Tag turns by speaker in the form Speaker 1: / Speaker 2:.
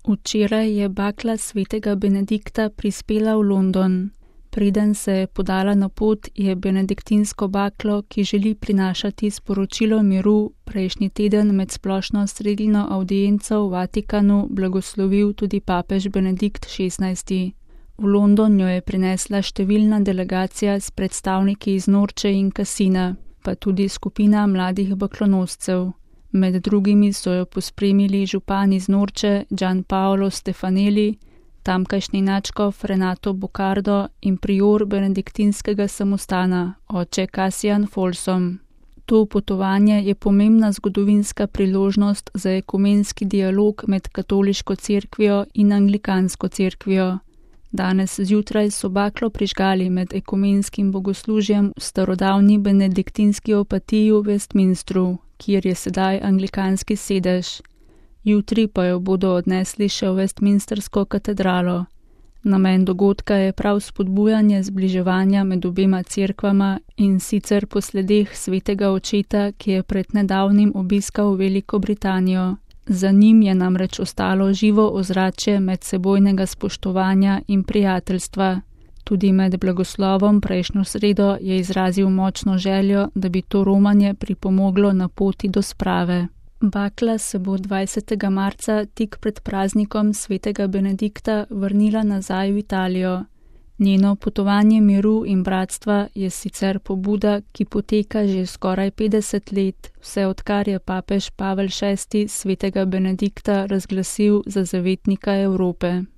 Speaker 1: Včeraj je bakla svetega Benedikta prispela v London. Preden se je podala na pot, je benediktinsko baklo, ki želi prinašati sporočilo miru, prejšnji teden med splošno sredino avdienco v Vatikanu blagoslovil tudi papež Benedikt XVI. V London jo je prinesla številna delegacija s predstavniki iz Norče in Cassina, pa tudi skupina mladih baklonoscev. Med drugimi so jo pospremili župan iz Norče Gian Paolo Stefanelli, tamkajšnji nadškof Renato Boccardo in prior benediktinskega samostana, oče Cassian Folsom. To potovanje je pomembna zgodovinska priložnost za ekumenski dialog med katoliško cerkvijo in anglikansko cerkvijo. Danes zjutraj so baklo prižgali med ekumenskim bogoslužjem v starodavni benediktinski opatiji v Westminstru, kjer je sedaj anglikanski sedež. Jutri pa jo bodo odnesli še v Westminstersko katedralo. Namen dogodka je prav spodbujanje zbliževanja med obema cerkvama in sicer po sledeh svetega očeta, ki je pred nedavnim obiskal Veliko Britanijo. Za njim je namreč ostalo živo ozračje medsebojnega spoštovanja in prijateljstva. Tudi med blagoslovom prejšnjo sredo je izrazil močno željo, da bi to romanje pripomoglo na poti do sprave. Bakla se bo 20. marca tik pred praznikom svetega Benedikta vrnila nazaj v Italijo. Njeno potovanje miru in bratstva je sicer pobuda, ki poteka že skoraj 50 let, vse odkar je papež Pavel VI svetega Benedikta razglasil za zavetnika Evrope.